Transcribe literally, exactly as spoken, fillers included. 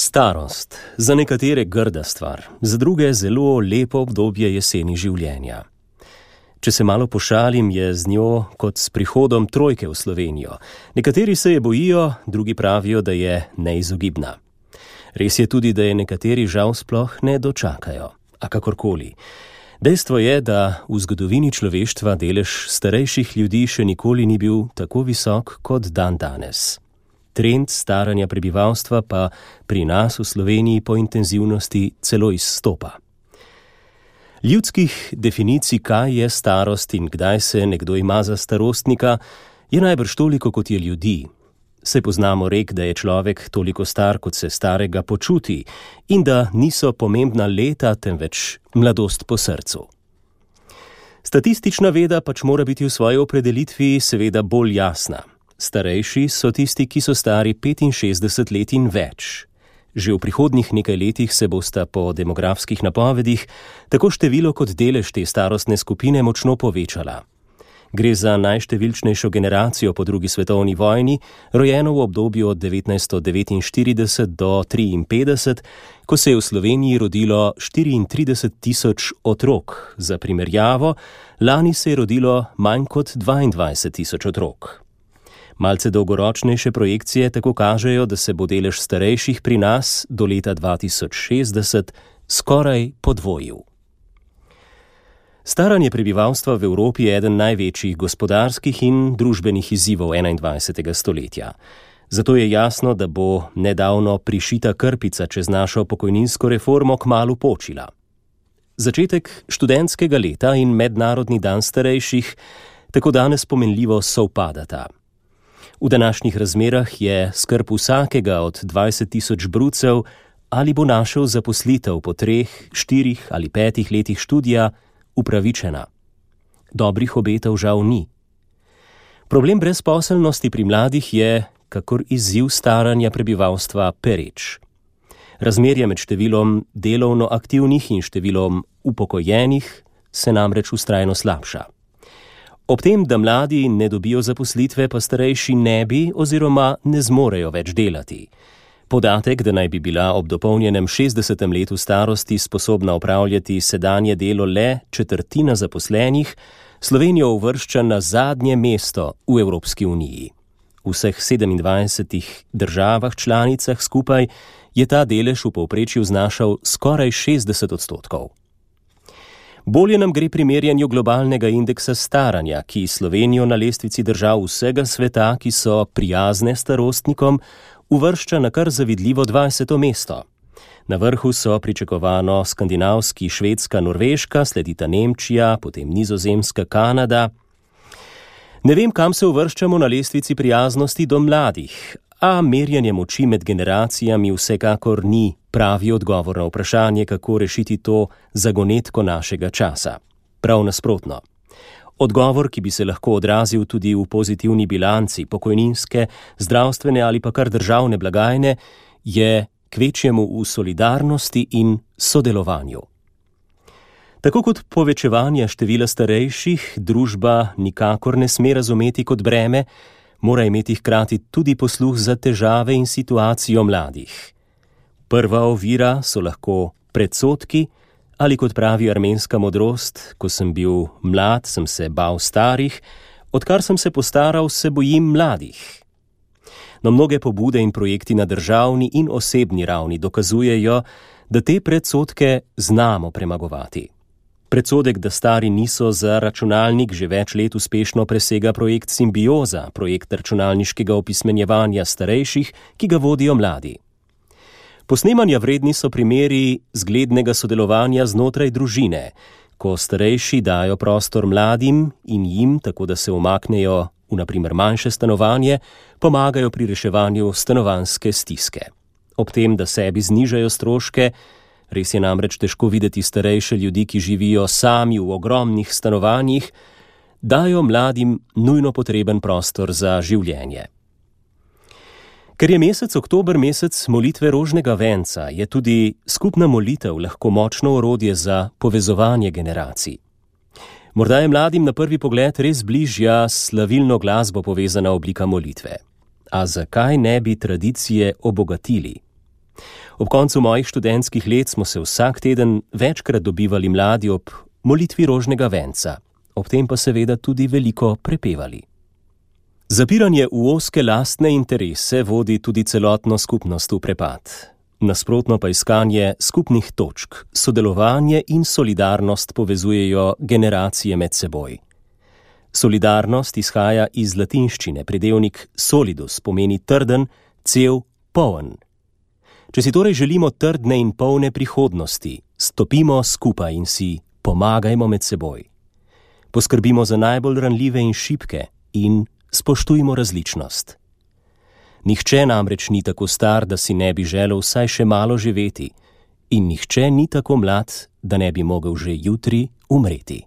Starost, za nekatere grda stvar, za druge zelo lepo obdobje jeseni življenja. Če se malo pošalim, je z njo kot s prihodom trojke v Slovenijo. Nekateri se je bojijo, drugi pravijo, da je neizogibna. Res je tudi, da je nekateri žal sploh ne dočakajo. A kakorkoli. Dejstvo je, da v zgodovini človeštva delež starejših ljudi še nikoli ni bil tako visok kot dan danes. Trend staranja prebivalstva pa pri nas v Sloveniji po intenzivnosti celo izstopa. Ljudskih definicij, kaj je starost in kdaj se nekdo ima za starostnika, je najbrž toliko, kot je ljudi. Saj poznamo rek, da je človek toliko star, kot se starega počuti in da niso pomembna leta, temveč mladost po srcu. Statistična veda pač mora biti v svoji opredelitvi seveda bolj jasna. Starejši so tisti, ki so stari petinšestdeset let in več. Že v prihodnjih nekaj letih se bosta po demografskih napovedih tako število kot delež te starostne skupine močno povečala. Gre za najštevilčnejšo generacijo po drugi svetovni vojni, rojeno v obdobju od devetnajststo devetinštirideset do triinpetdeset, ko se je v Sloveniji rodilo štiriintrideset tisoč otrok. Za primerjavo, lani se je rodilo manj kot dvaindvajset tisoč otrok. Malce dolgoročnejše projekcije tako kažejo, da se bo delež starejših pri nas do leta dva tisoč šestdeset skoraj podvojil. Staranje prebivalstva v Evropi je eden največjih gospodarskih in družbenih izzivov enaindvajsetega stoletja. Zato je jasno, da bo nedavno prišita krpica čez našo pokojninsko reformo kmalu počila. Začetek študentskega leta in mednarodni dan starejših tako danes pomenljivo sovpadata. V današnjih razmerah je skrb vsakega od dvajset tisoč brucev, ali bo našel zaposlitev po treh, štirih ali petih letih študija, upravičena. Dobrih obetov žal ni. Problem brezposelnosti pri mladih je, kakor izziv staranja prebivalstva, pereč. Razmerje med številom delovno aktivnih in številom upokojenih se namreč vztrajno slabša. Ob tem, da mladi ne dobijo zaposlitve, pa starejši ne bi oziroma ne zmorejo več delati. Podatek, da naj bi bila ob dopolnjenem šestdesetem letu starosti sposobna opravljati sedanje delo le četrtina zaposlenih, Slovenijo uvršča na zadnje mesto v Evropski uniji. V vseh sedemindvajsetih državah članicah skupaj je ta delež v povprečju znašal skoraj šestdeset odstotkov. Bolje nam gre pri merjenju globalnega indeksa staranja, ki Slovenijo na lestvici držav vsega sveta, ki so prijazne starostnikom, uvršča na kar zavidljivo dvajseto mesto. Na vrhu so pričakovano skandinavski, Švedska, Norveška, sledita Nemčija, potem Nizozemska, Kanada. Ne vem, kam se uvrščamo na lestvici prijaznosti do mladih, a merjenje moči med generacijami vsekakor ni pravi odgovor na vprašanje, kako rešiti to zagonetko našega časa. Prav nasprotno. Odgovor, ki bi se lahko odrazil tudi v pozitivni bilanci pokojninske, zdravstvene ali pa kar državne blagajne, je kvečjemu v solidarnosti in sodelovanju. Tako kot povečevanje števila starejših družba nikakor ne sme razumeti kot breme, mora imeti hkrati tudi posluh za težave in situacijo mladih. Prva ovira so lahko predsodki, ali kot pravi armenska modrost, ko sem bil mlad, sem se bal starih, odkar sem se postaral, se bojim mladih. No, mnoge pobude in projekti na državni in osebni ravni dokazujejo, da te predsodke znamo premagovati. Predsodek, da stari niso za računalnik, že več let uspešno presega projekt Simbioza, projekt računalniškega opismenjevanja starejših, ki ga vodijo mladi. Posnemanja vredni so primeri zglednega sodelovanja znotraj družine, ko starejši dajo prostor mladim in jim, tako da se umaknejo v na primer manjše stanovanje, pomagajo pri reševanju stanovanjske stiske. Ob tem, da sebi znižajo stroške, res je namreč težko videti starejše ljudi, ki živijo sami v ogromnih stanovanjih, dajo mladim nujno potreben prostor za življenje. Ker je mesec oktober mesec molitve rožnega venca, je tudi skupna molitev lahko močno orodje za povezovanje generacij. Morda je mladim na prvi pogled res bližja s slavilno glasbo povezana oblika molitve. A zakaj ne bi tradicije obogatili? Ob koncu mojih študentskih let smo se vsak teden večkrat dobivali mladi ob molitvi rožnega venca, ob tem pa seveda tudi veliko prepevali. Zapiranje v ozke lastne interese vodi tudi celotno skupnost v prepad. Nasprotno pa iskanje skupnih točk, sodelovanje in solidarnost povezujejo generacije med seboj. Solidarnost izhaja iz latinščine, pridevnik solidus pomeni trden, cel, poln. Če si torej želimo trdne in polne prihodnosti, stopimo skupaj in si pomagajmo med seboj. Poskrbimo za najbolj ranljive in šibke in spoštujmo različnost. Nihče namreč ni tako star, da si ne bi želel vsaj še malo živeti, in nihče ni tako mlad, da ne bi mogel že jutri umreti.